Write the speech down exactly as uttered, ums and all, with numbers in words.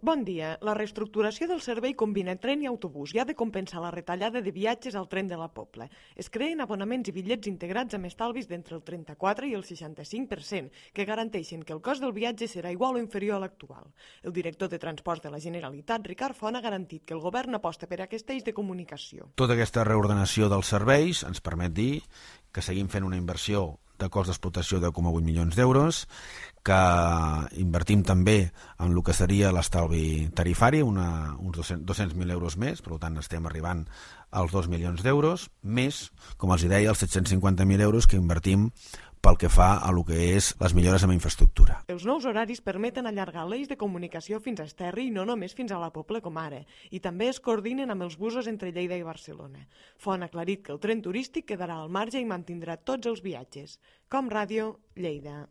Bon dia. La reestructuració del servei combina tren i autobús i ha de compensar la retallada de viatges al tren de la Pobla. Es creen abonaments i bitllets integrats amb estalvis d'entre el trenta-quatre i el seixanta-cinc per cent, que garanteixen que el cost del viatge serà igual o inferior a l'actual. El director de Transports de la Generalitat, Ricard Font, ha garantit que el govern aposta per aquest eix de comunicació. Tota aquesta reordenació dels serveis ens permet dir que seguim fent una inversió de cost d'explotació de deu coma vuit milions d'euros, que invertim també en el que seria l'estalvi tarifari, una, uns dos-cents mil euros més, per tant estem arribant als dos milions d'euros, més, com els deia, els set-cents cinquanta mil euros que invertim pel que fa a lo que és les millores en infraestructura. Els nous horaris permeten allargar l'eix de comunicació fins a Esterri i no només fins a la Pobla com ara, i també es coordinen amb els busos entre Lleida i Barcelona. Font ha aclarit que el tren turístic quedarà al marge i mantindrà tots els viatges. Com Ràdio, Lleida.